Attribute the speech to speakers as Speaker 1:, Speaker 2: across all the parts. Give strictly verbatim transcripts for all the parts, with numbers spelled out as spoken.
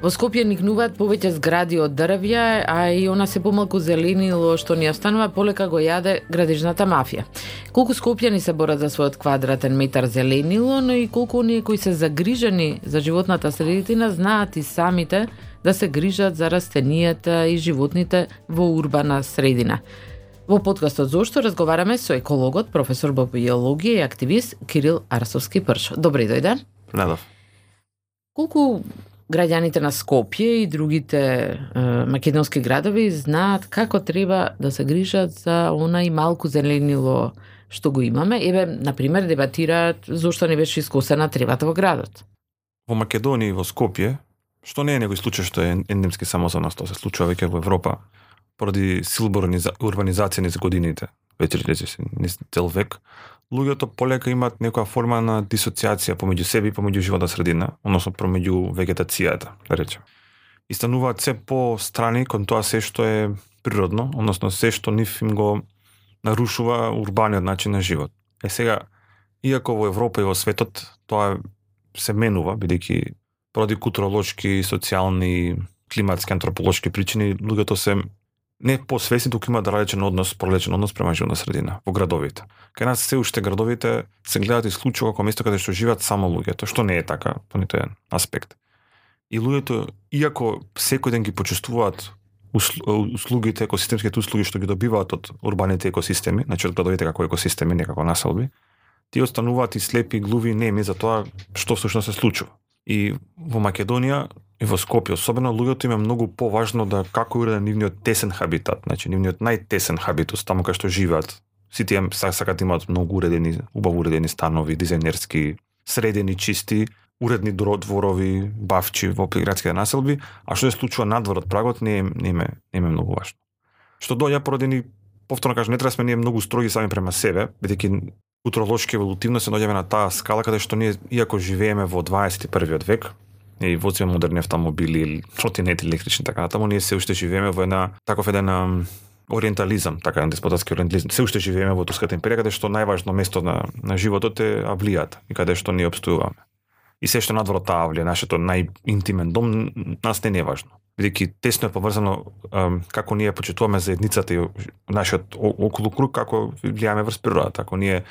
Speaker 1: Во Скопје никнуваат повеќе згради од дрвја, а и она се помалку зеленило што ни останува полека го јаде градежната мафија. Колку скопјани се борат за својот квадратен метар зеленило, но и колку оние кои се загрижени за животната средина знаат и самите да се грижат за растенијата и животните во урбана средина. Во подкастот Зошто разговараме со екологот, професор по биологија и активист Кирил Арсовски-Пршо. Добри дојден.
Speaker 2: Надов.
Speaker 1: Колку граѓаните на Скопје и другите е, македонски градови знаат како треба да се грижат за она и малку зеленило што го имаме? Еве, например, дебатираат зошто не беше искосена тревата во градот.
Speaker 2: Во Македонија и во Скопје, што не е некој случај што е ендемски само за нас, тоа се случува веќе во Европа, поради силна урбанизација низ годините, веќе низ цел век, луѓето полека имаат некоја форма на дисоциација помеѓу себе и помеѓу животна средина, односно помеѓу вегетацијата, да речем. И стануваат се по-страни кон тоа се што е природно, односно се што нив им го нарушува урбаниот начин на живот. Е сега, иако во Европа и во светот тоа се менува, бидејќи поради културолошки, социјални, климатски, антрополошки причини, луѓето се не посвесни, туку имаат различен однос, проличен однос према животна средина во градовите. Кај нас се уште градовите се гледаат исклучиво како место каде што живеат само луѓето, што не е така по ниту еден аспект. И луѓето, иако секој ден ги почувствуваат услугите, екосистемските услуги што ги добиваат од урбаните екосистеми, значи од градовите како екосистеми, не како населби, тие остануваат и слепи, глуви, неми за тоа што всушност се случува. И во Македонија и во Скопје особено луѓето им е многу поважно да како е уреден нивниот тесен хабитат, значи нивниот најтесен хабитус, таму кај што живеат. Сите им сакаат да имаат многу уредени, убаво уредени станови, дизајнерски, средени, чисти, уредни дворови, бавчи во градските населби, а што се случува надвор од прагот не е, не е, не е многу важно. Што доаѓа поради ни, повторно кажам, не треба сме ние многу строги сами према себе, бидејќи културолошки еволутивно се наоѓаме на таа скала каде што ние, иако живееме во дваесет и првиот век, и возиме модерни автомобили, тротинети електрични, така натаму, ние се уште живееме во една таков еден ориентализам, така еден деспотатски ориентализам. Се уште живееме во Турската империја, каде што најважно место на, на животот е авлијата и каде што ние обстојуваме. И се што надвор од таа авлија, нашето најинтимен дом, нас не е важно. Бидејќи тесно е поврзано како ние почитуваме заедницата и нашиот околу круг, како влијаме врз природата, ако ние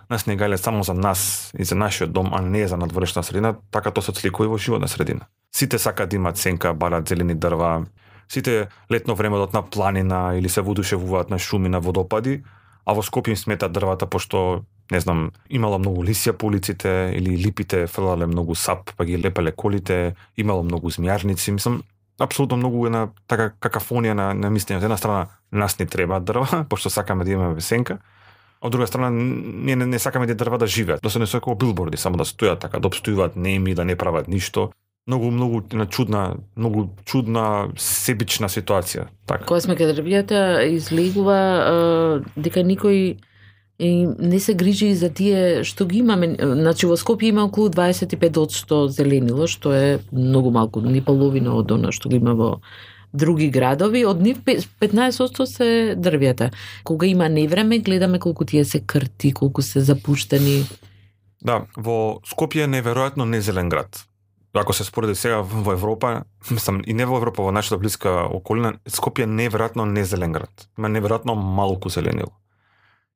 Speaker 2: нас не гајле само за нас и за нашиот дом, а не за надворешна средина, така тоа се отсликува и во животна средина. Сите сакаат да имаат сенка, барат зелени дрва, сите летно време одат на планина или се воодушевуваат на шуми, на водопади, а во Скопје им сметаат дрвата пошто, не знам, имало многу лисија по улиците или липите фрлале многу сап, па ги лепеле колите, имало многу змијарници, мислам, апсолутно многу една така какафонија на, на мислење. Од една страна нас не треба дрва, пошто сакаме да имаме сенка, од друга страна ние не, не сакаме да дрва да живеат, да се не како билборди, само да стојат така, да обстојуваат неми, да не прават ништо. Многу многу на чудна, многу чудна себична ситуација, така.
Speaker 1: Кога сме кај дрвјата излегува дека никој и не се грижи за тие што ги имаме. Значи во Скопје има околу дваесет и пет одсто зеленило, што е многу малку, ни половина од она што го има во други градови, од нив петнаесет одсто се дрвјата. Кога има невреме, гледаме колку тие се крти, колку се запуштени.
Speaker 2: Да, во Скопје е неверојатно незелен град. Ако се спореди сега во Европа, мислам и не во Европа, во нашата блиска околина, Скопје е неверојатно незелен град. Има неверојатно малку зеленило.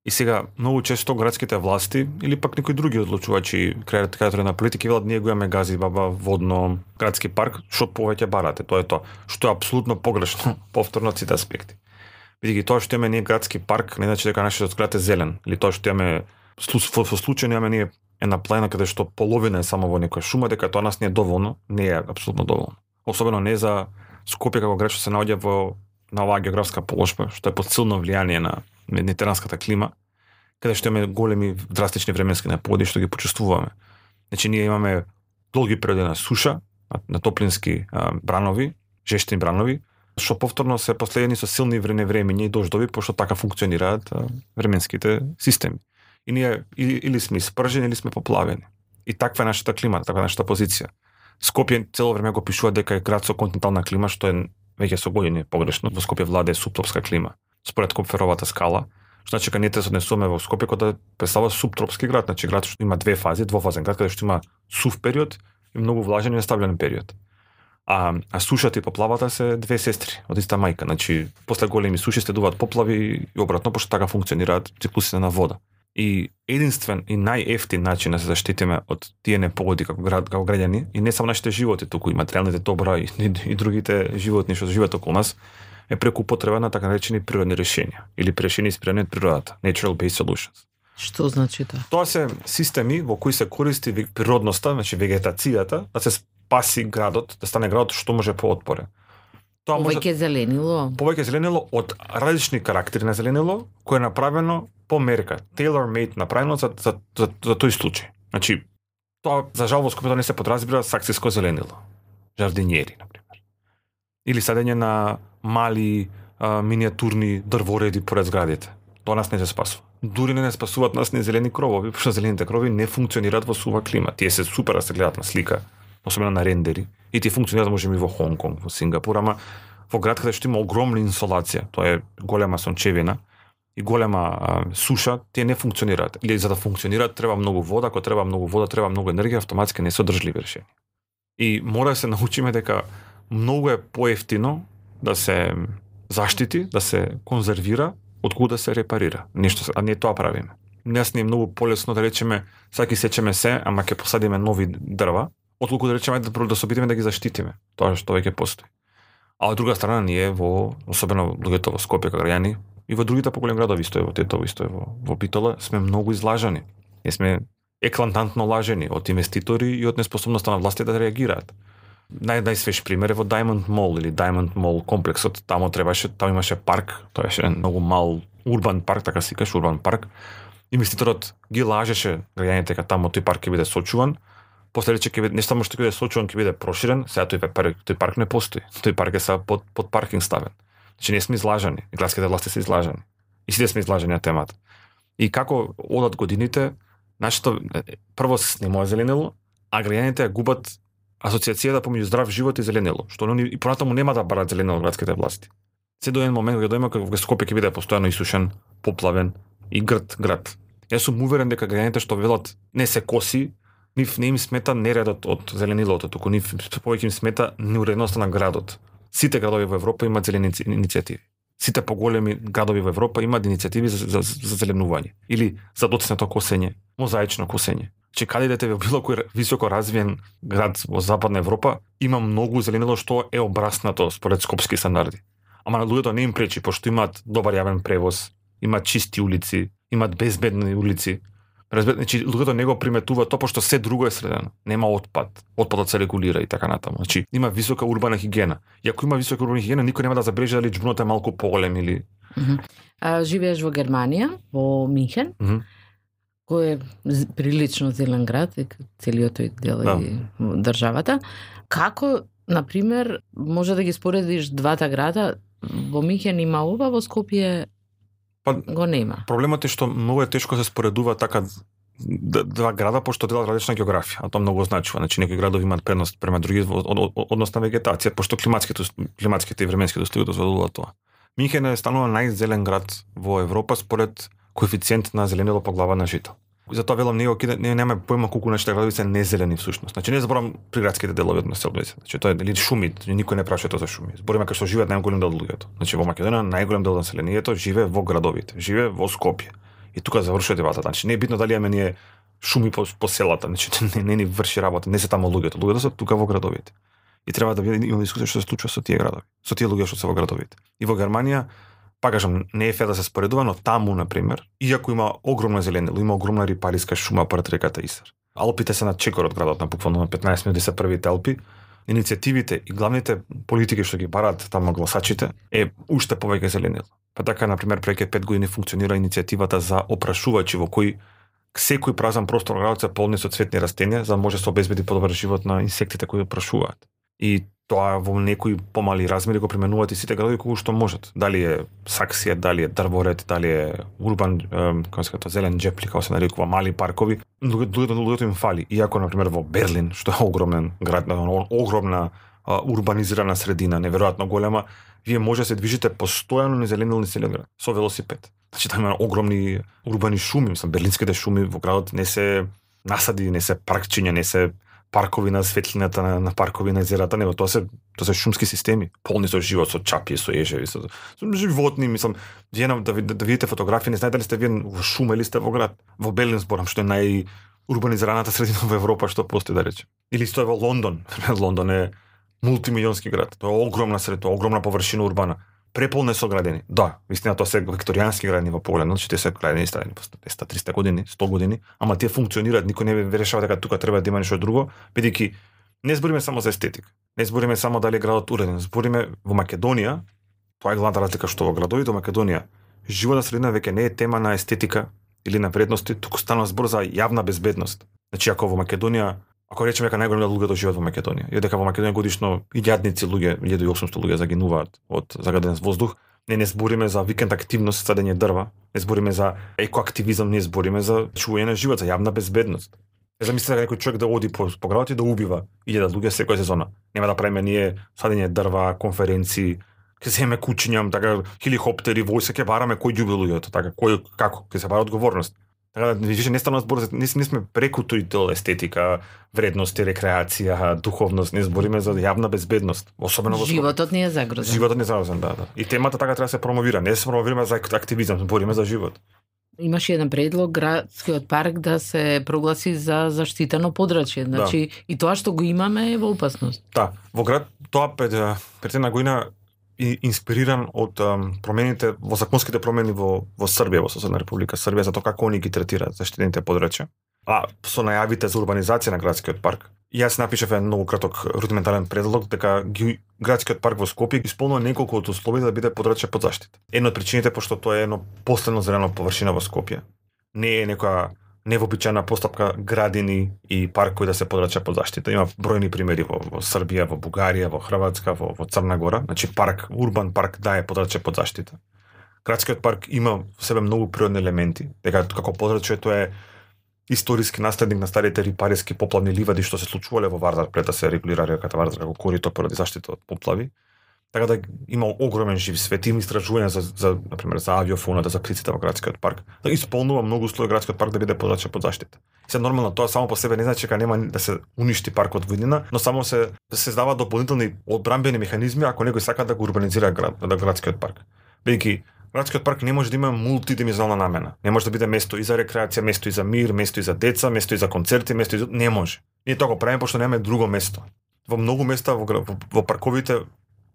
Speaker 2: И сега многу често градските власти или пак некои други одлучувачи, креатори на политики велат ние го имаме гази баба водно градски парк, што повеќе барате, тоа е тоа, што е апсолутно погрешно повторно од сите аспекти. Бидејќи тоа што имаме ние градски парк не значи дека нашиот град е зелен, или тоа што имаме во случај имаме ние една планина каде што половина е само во некоја шума, дека тоа нас не е доволно, не е апсолутно доволно. Особено не за Скопје како град што се наоѓа во на оваа географска положба, што е под силно влијание на медитеранската клима, каде што имаме големи драстични временски непогоди што ги почувствуваме. Значи ние имаме долги периоди на суша, на топлински а, бранови, жештини бранови, што повторно се последени со силни вреневремиња и дождови, пошто така функционираат а, временските системи. И ние или, или сме испржени, или сме поплавени. И таква е нашата клима, таква е нашата позиција. Скопје цело време го пишува дека е град со континентална клима, што е веќе со години погрешно. Во Скопје владее субтропска клима, според Копферовата скала. Што значи кога ние се однесуваме во Скопје кога представува субтропски град, значи град што има две фази, двофазен град каде што има сув период и многу влажен и нестабилен период. А, а сушата и поплавата се две сестри од иста мајка. Значи, после големи суши следуваат поплави и обратно, пошто така функционираат циклусите на вода. И единствен и најефтин начин да се заштитиме од тие непогоди како град, како граѓани, и не само нашите животи туку, и материјалните добра и, и, и другите животни што живеат околу нас, е преку употреба на така наречени природни решенија или решени инспирирани од природата, natural-based solutions.
Speaker 1: Што значи тоа?
Speaker 2: Тоа се системи во кои се користи природноста, значи вегетацијата, да се спаси градот, да стане градот што може поотпорен.
Speaker 1: Тоа повеќе зеленило.
Speaker 2: Повеќе зеленило од различни карактери на зеленило, кое е направено по мерка, tailor-made направено за, за, за, за тој случај. Значи, тоа за жал во Скопје не се подразбира саксиско зеленило. Жардинјери, например. Или садење на мали а, миниатурни дрвореди поред зградите. Тоа нас не се спасува. Дури не не спасуваат нас ни зелени кровови, пошто зелените крови не функционираат во сува клима. Тие се супер да се гледат на слика, особено на рендери, и тие функционираат можеби во Хонг Конг, во Сингапур, ама во град каде што има огромна инсолација, тоа е голема сончевина и голема а, суша, тие не функционираат. Или за да функционираат треба многу вода, ако треба многу вода, треба многу енергија, автоматски не се одржливи решенија. И мора да се научиме дека многу е поевтино да се заштити, да се конзервира, отколку да се репарира. Нешто, а не тоа правиме. Нас не е многу полесно да речеме, саки сечеме се, ама ќе посадиме нови дрва, отколку да речеме да, да се обидиме да ги заштитиме, тоа што веќе постои. А од друга страна ние во, особено луѓето во Скопје како граѓани, и во другите поголеми градови, исто е во Тетово, исто е во, во Битола, сме многу излажани. Ние сме еклантантно лажени од инвеститори и од неспособноста на власти да реагираат. Нај најсвеж пример е во Diamond Mall или Diamond Mall комплексот. Тамо требаше, таму имаше парк, тоа беше многу мал урбан парк, така се каже, урбан парк. Инвеститорот ги лажеше граѓаните дека тамо тој парк ќе биде сочуван. После рече ќе биде не само што ќе биде сочуван, ќе биде проширен, сега тој парк, тој парк не постои. Тој парк е са под под паркинг ставен. Значи не сме излажани, и градските власти се излажани. И сите сме излажани на темата. И како одат годините, нашето прво се снимува зеленило, а граѓаните губат асоциацијата помеѓу здрав живот и зеленило, што они и понатаму нема да барат зеленило од градските власти. Се до еден момент кога дојма кога Скопје ќе биде постојано исушен, поплавен и грд град. Јас сум уверен дека граѓаните што велат не се коси, нив не им смета нередот од зеленилото, туку нив повеќе им смета неуредноста на градот. Сите градови во Европа имаат зелени иницијативи. Сите поголеми градови во Европа имаат иницијативи за, за, за зеленување или за доцнето косење, мозаично косење. Че каде идете во било кој високо развиен град во Западна Европа, има многу зеленило што е обраснато според скопски стандарди. Ама на луѓето не им пречи, пошто имаат добар јавен превоз, имаат чисти улици, имаат безбедни улици. Разбер, значи луѓето не го приметува тоа пошто се друго е средено. Нема отпад, отпадот се регулира и така натаму. Значи има висока урбана хигиена. И ако има висока урбана хигиена, никој нема да забележи дали џбунот е малку поголем или.
Speaker 1: Mm -hmm. А живееш во Германија, во Минхен?
Speaker 2: Mm -hmm.
Speaker 1: Кој е прилично зелен град, целиот тој дел
Speaker 2: да.
Speaker 1: и државата. Како, например, може да ги споредиш двата града? Во Минхен има ова, во Скопје
Speaker 2: па,
Speaker 1: го нема.
Speaker 2: Проблемот е што многу е тешко се споредува така два града, пошто делат различна географија, а тоа многу значува. Значи некои градови имаат предност према други однос на вегетација, пошто климатските климатските и временските услови дозволуваат тоа. Минхен е станува најзелен град во Европа според коефициент на зеленило по глава на жител. Затоа велам ние не немаме појма колку нашите градови се незелени всушност. Значи не зборам приградските делови од населбите. Значи тоа е дали шуми, никој не праша тоа за шуми. Збориме како што живеат најголем дел од луѓето. Значи во Македонија најголем дел од населението живее во градовите, живее во Скопје. И тука завршува дебата. Значи не е битно дали имаме ние шуми по, по селата, значи не, не ни врши работа, не се таму луѓето. Луѓето се тука во градовите. И треба да имаме дискусија што се случува со тие градови, со тие луѓе што се во градовите. И во Германија, па кажам, не е фер да се споредува, но таму, например, иако има огромна зеленило, има огромна рипариска шума пред реката Исар. Алпите се на чекор од градот, на буквално на петнаесет минути се првите Алпи. Иницијативите и главните политики што ги бараат таму гласачите е уште повеќе зеленило. Па така, например, преќе пет години функционира иницијативата за опрашувачи во кој секој празен простор во градот се полни со цветни растенија, за да може се обезбеди подобар живот на инсектите кои опрашуваат. И тоа во некои помали размери го применуваат и сите градови колку што можат. Дали е саксија, дали е дрворед, дали е урбан, како се кажа, зелен џепли, како се нарекува, мали паркови. Луѓето луѓето им фали. Иако например во Берлин, што е огромен град, огромна а, урбанизирана средина, неверојатно голема, вие може да се движите постојано низ зеленилни селен град со велосипед. Значи таа има огромни урбани шуми, мислам, берлинските шуми во градот не се насади, не се паркчиња, не се паркови на светлината на, на паркови на езерата, него тоа се тоа се шумски системи, полни со живот, со чапи, со ежеви, со, со животни, мислам, вие да, да, да видите фотографии, не знаете дали сте вие во шума или сте во град, во Белин зборам, што е најурбанизираната средина во Европа што постои, да речем. Или стои во Лондон. Лондон е мултимилионски град. Тоа е огромна средина, огромна површина урбана. Преполно е соградени. Да, вистина тоа се викторијански градини во поглед, значи те се градени старени по двеста триста години, сто години, ама тие функционираат, никој не ве решава дека тука треба да има нешто друго, бидејќи не збориме само за естетика. Не збориме само дали е градот уреден, збориме во Македонија, тоа е главната разлика што во градовите во Македонија, животна средина веќе не е тема на естетика или на вредности, туку станува збор за јавна безбедност. Значи ако во Македонија, ако речеме дека најголем дел луѓето живеат во Македонија, и дека во Македонија годишно илјадници луѓе, илјада и осумсто луѓе загинуваат од загаден воздух, не не збориме за викенд активност, садење дрва, не збориме за екоактивизам, не збориме за чување на живот, за јавна безбедност. Не замислете дека некој човек да оди по, по градот и да убива илјада луѓе секоја сезона. Нема да правиме ние садење дрва, конференции, ќе земе кучињам, така хеликоптери, војска ќе бараме кој ѓуби луѓето, така кој како ќе се бара одговорност. Така да више не станува збор за не, не сме преку тој дел естетика, вредности, рекреација, духовност, не збориме за јавна безбедност, особено во
Speaker 1: животот не е загрозен.
Speaker 2: Животот не е загрозен, да, да. И темата така треба да се промовира, не се промовираме за активизам, збориме за живот.
Speaker 1: Имаше еден предлог градскиот парк да се прогласи за заштитено подрачје, значи да. И тоа што го имаме е во опасност.
Speaker 2: Да, во град тоа пред пред една година и инспириран од um, промените во законските промени во во Србија, во соседна република Србија, за тоа како они ги третираат заштитените подрачја. А со најавите за урбанизација на градскиот парк, јас напишав еден многу краток рудиментарен предлог дека ги, градскиот парк во Скопје исполнува неколку од условија да биде подрачје под заштита. Една од причините пошто тоа е едно последно зелено површина во Скопје. Не е некоја невообичаена постапка градини и паркови да се подрача под заштита. Има бројни примери во, во Србија, во Бугарија, во Хрватска, во, во Црна Гора. Значи парк, урбан парк да е подраче под заштита. Градскиот парк има во себе многу природни елементи, дека како подрачје тоа е историски наследник на старите рипариски поплавни ливади што се случувале во Вардар пред да се регулира реката Вардар како корито поради заштита од поплави. Така да има огромен жив свет, има истражувања за, за, например, за авиофоната, за птиците во градскиот парк. Да исполнува многу услови градскиот парк да биде подраче под заштита. Се нормално тоа само по себе не значи дека нема да се уништи паркот во иднина, но само се се создаваат дополнителни одбранбени механизми ако некој сака да го урбанизира град, да градскиот парк. Бидејќи градскиот парк не може да има мултидимenzионална намена. Не може да биде место и за рекреација, место и за мир, место и за деца, место и за концерти, место и за... не може. Ние тоа го правиме пошто немаме друго место. Во многу места во, во, во парковите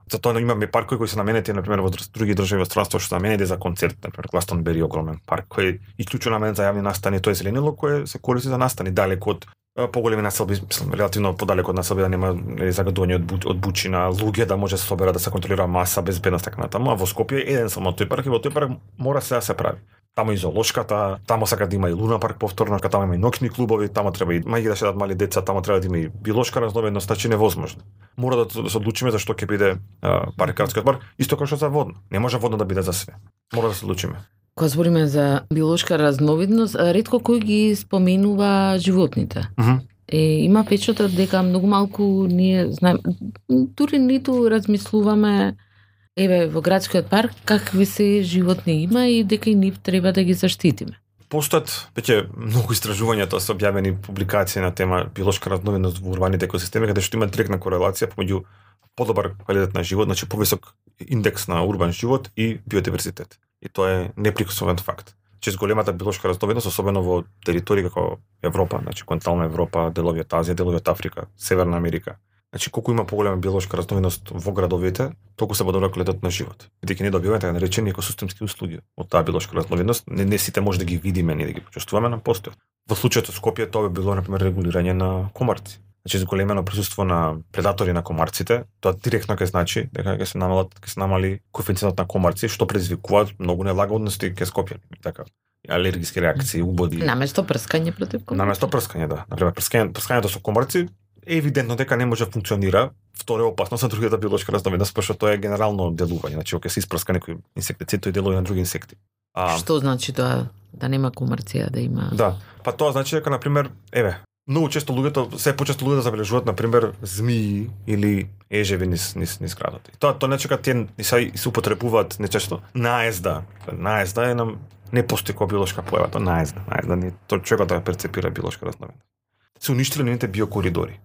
Speaker 2: затоа имаме паркови кои се наменети, например, во други држави во странство што се наменети за концерт, например, Гластонбери огромен парк кој е исклучено наменет за јавни настани, тоа е зеленило кое се користи за настани далеку од поголеми населби, мислам, релативно подалеку од населби да нема загадување од, од бучина, луѓе да може да се соберат да се контролира маса, безбедност така натаму, а во Скопје е еден само тој парк и во тој парк мора се да се прави. Тамо и зоолошката, тамо сака да има и Луна парк повторно, тамо има и ноќни клубови, тамо треба и мајки да шетат мали деца, тамо треба да има и биолошка разновидност, значи невозможно. Мора да, да се одлучиме за што ќе биде парк, градскиот парк, исто како што за водно. Не може водно да биде за све. Мора да се одлучиме.
Speaker 1: Кога збориме за биолошка разновидност, ретко кој ги споменува животните.
Speaker 2: Mm -hmm.
Speaker 1: Е, има печатот дека многу малку ние знаеме, дури ниту размислуваме еве во градскиот парк какви се животни има и дека и нив треба да ги заштитиме.
Speaker 2: Постојат веќе многу истражувања, тоа се објавени публикации на тема биолошка разновидност во урбаните екосистеми, каде што има директна корелација помеѓу подобар квалитет на живот, значи повисок индекс на урбан живот и биодиверзитет. И тоа е неприкосновен факт. Че големата биолошка разновидност, особено во територии како Европа, значи континентална Европа, делови од Азија, делови од Африка, Северна Америка. Значи колку има поголема биолошка разновидност во градовите, толку се подобра квалитетот на живот. Бидејќи не добиваме така наречени екосистемски услуги од таа биолошка разновидност, не, не сите може да ги видиме, не да ги почувствуваме, на постојат. Во случајот со Скопје тоа би било на пример регулирање на комарци. Значи зголемено присуство на предатори на комарците, тоа директно ќе значи дека ќе се намалат, ќе се намали коефициентот на комарци, што предизвикуваат многу нелагодности кај Скопјани, така. Алергиски реакции, убоди.
Speaker 1: Наместо прскање против комарци.
Speaker 2: Наместо прскање, да. Например, прскање, прскањето со комарци е евидентно дека не може да функционира. Второ е опасно за другата биолошка разновидност, пошто тоа е генерално делување, значи кога се испрска некој инсектицид, тој делува на други инсекти.
Speaker 1: А... Што значи тоа да нема комарци, а да има?
Speaker 2: Да, па тоа значи дека на пример, еве, многу често луѓето, се почесто луѓето забележуваат на пример змии или ежеви низ низ низ градот. И тоа тоа не чека тие се се употребуваат нечесто. Наезда, наезда е нам не постои како биолошка појава, тоа наезда, наезда не тоа човекот да перцепира биолошка разновидност. Се уништиле нивните биокоридори.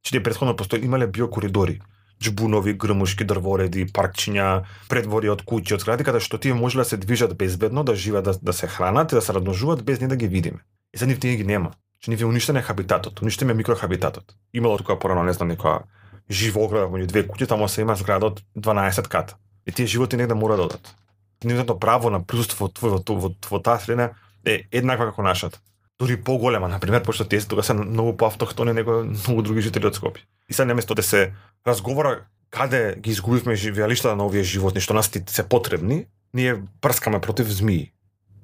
Speaker 2: Че тие претходно постои имале биокоридори, џбунови, грмушки, дрвореди, паркчиња, предвори од куќи, од згради, каде што тие можеле да се движат безбедно, да живеат, да, да се хранат и да се размножуваат без ние да ги видиме. И за нив тие ги нема. Че нив е уништен е хабитатот, уништен е микрохабитатот. Имало тука порано, не знам, некоја жива ограда меѓу две куќи, таму се има зграда од дванаесет ката. И тие животи негде мора да одат. Нивното право на присуство во, во, во, во таа средина е еднаква како нашата. Дури поголема, например, пошто тие тука се многу поавтохтони него многу други жители од Скопје. И сега наместо да се разговара каде ги изгубивме живеалиштата на овие животни што нас се потребни, ние прскаме против змии.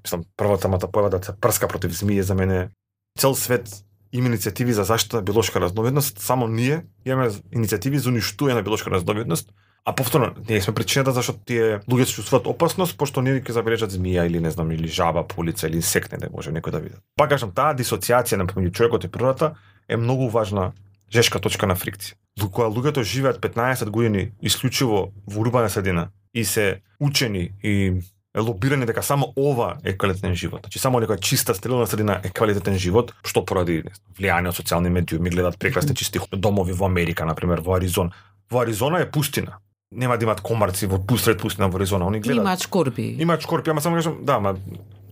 Speaker 2: Мислам, првата мата појава да се прска против змии за мене. Цел свет има иницијативи за заштита на биолошка разновидност, само ние имаме иницијативи за уништување на биолошка разновидност, а повторно ние сме причината зашто тие луѓе се чувствуваат опасност, пошто ние ќе забележат змија или не знам или жаба по улица или инсект не може некој да види. Пак кажам, таа дисоциација на помеѓу човекот и природата е многу важна жешка точка на фрикција. Кога луѓето живеат петнаесет години исклучиво во урбана средина и се учени и лобирани дека само ова е квалитетен живот. Значи само некоја чиста стерилна средина е квалитетен живот, што поради влијание од социјални медиуми гледат прекрасни чисти домови во Америка, например во Аризона. Во Аризона е пустина. Нема да имат комарци во пусред пустина во Аризона, они гледат.
Speaker 1: Имаат шкорпи.
Speaker 2: Имаат шкорпи, ама само кажам, да, ама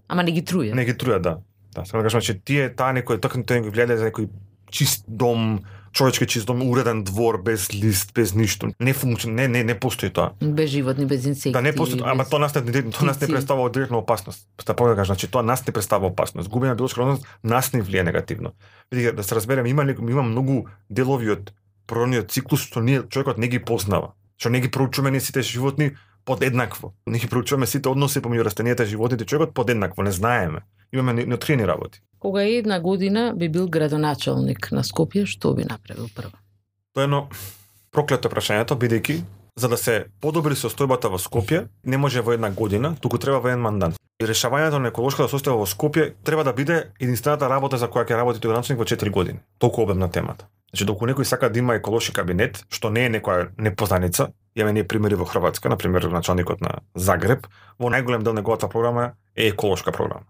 Speaker 1: ама не ги трујат.
Speaker 2: Не ги трујат, да. Да, само кажам, че тие таа некој токму тоа го гледа за некој чист дом, човечки чист дом, уреден двор без лист, без ништо. Не функционира, не не не постои тоа.
Speaker 1: Без животни, без инсекти.
Speaker 2: Да, не постои, без... ама тоа нас не тоа нас не представува директна опасност. Та пога кажам, значи тоа нас не представува опасност. Губење на биолошка разновидност нас не влијае негативно. Видите, да се разбереме, има има многу делови од природниот циклус што ние човекот не ги познава. Што не ги проучуваме ние сите животни подеднакво. Не ги проучуваме сите односи помеѓу растенијата и животните, човекот подеднакво, не знаеме. Имаме неоткриени работи.
Speaker 1: Кога една година би бил градоначалник на Скопје, што би направил прво?
Speaker 2: Тоа е едно проклето прашањето, бидејќи за да се подобри состојбата во Скопје, не може во една година, туку треба во еден мандат. И решавањето на еколошката состојба во Скопје треба да биде единствената работа за која ќе работи тој градоначалник во четири години. Толку обемна темата. Значи, доколку некој сака да има еколошки кабинет, што не е некоја непознаница, имаме ние примери во Хрватска, например началникот на Загреб, во најголем дел неговата програма е еколошка програма.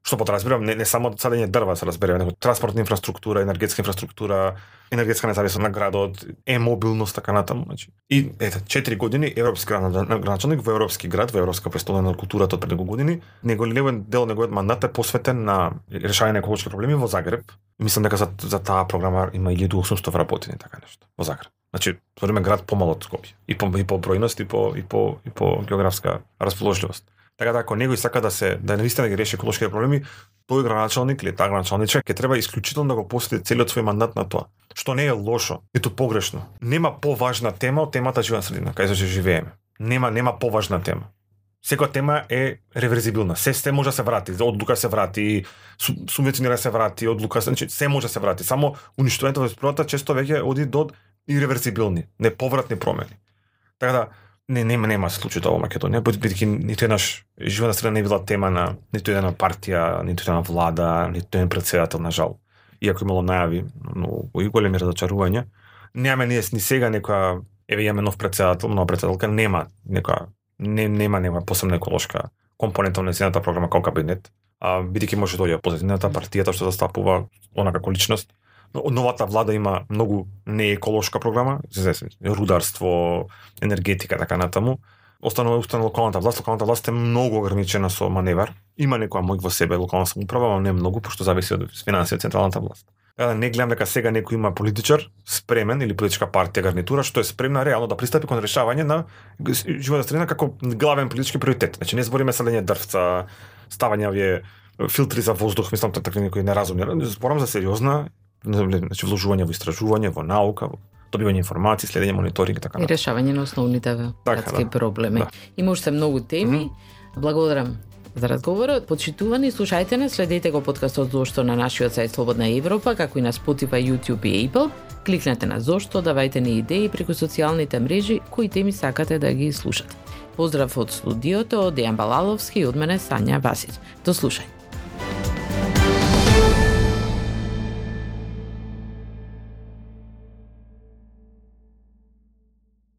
Speaker 2: Што подразбирам, не, не само садење дрва се разбере, него транспортна инфраструктура, енергетска инфраструктура, енергетска независност на градот, е-мобилност, така натаму. Значи. И ете, четири години европски градоначалник во европски град, во европска престола на културата од пред неколку години, неголемен дел неговиот мандат е посветен на решавање на еколошки проблеми во Загреб. Мислам дека за, за таа програма има илјаду и осумстотини вработени, така нешто, во Загреб. Значи, збориме град помал од Скопје, и по и по бројност и по и по и по географска расположливост. Така да ако некој сака да се да навистина ги реши еколошките проблеми, тој градоначалник или таа градоначалничка ќе треба исклучително да го посвети целиот свој мандат на тоа. Што не е лошо, ниту погрешно. Нема поважна тема од темата животна средина, кај што живееме. Нема нема поважна тема. Секоја тема е реверзибилна. Се се може да се врати, одлука се врати, субвенционира се врати, одлука се, значи се може да се врати. Само уништувањето во природата често веќе оди до иреверзибилни, неповратни промени. Така да Не, нема, нема случај тоа во Македонија, бидејќи ниту еднаш животна средина не била тема на ниту една партија, ниту една влада, ниту еден претседател, на жал. Иако имало најави, но и големи разочарувања, немаме ние ни сега некоја, еве имаме нов претседател, нова претседателка, нема некоја, не, нема нема посебна еколошка компонента на нејзината програма како кабинет, а бидејќи може да дојде позитивната партијата што застапува она како личност. Новата влада има многу нееколошка програма, рударство, енергетика, така натаму. Останува устанува локалната власт, локалната власт е многу ограничена со маневар. Има некоја мој во себе локална самоуправа, но не многу, пошто зависи од финансија од централната власт. Така да не гледам дека сега некој има политичар спремен или политичка партија гарнитура што е спремна реално да пристапи кон решавање на животна средина како главен политички приоритет. Значи не збориме садење дрвца, ставање овие филтри за воздух, мислам така некои неразумни. Зборам за сериозна, значи вложување во истражување, во наука, во добивање информации, следење, мониторинг и така
Speaker 1: натаму. И решавање на основните градски да, проблеми. Да. Има уште многу теми. Mm-hmm. Благодарам за разговорот. Почитувани, слушајте нас, следете го подкастот Зошто на нашиот сајт Слободна Европа, како и на Spotify, YouTube и Apple. Кликнете на Зошто, давајте ни идеи преку социјалните мрежи кои теми сакате да ги слушате. Поздрав од студиото, Дејан Балаловски и од мене Сања Васиќ. До слушање.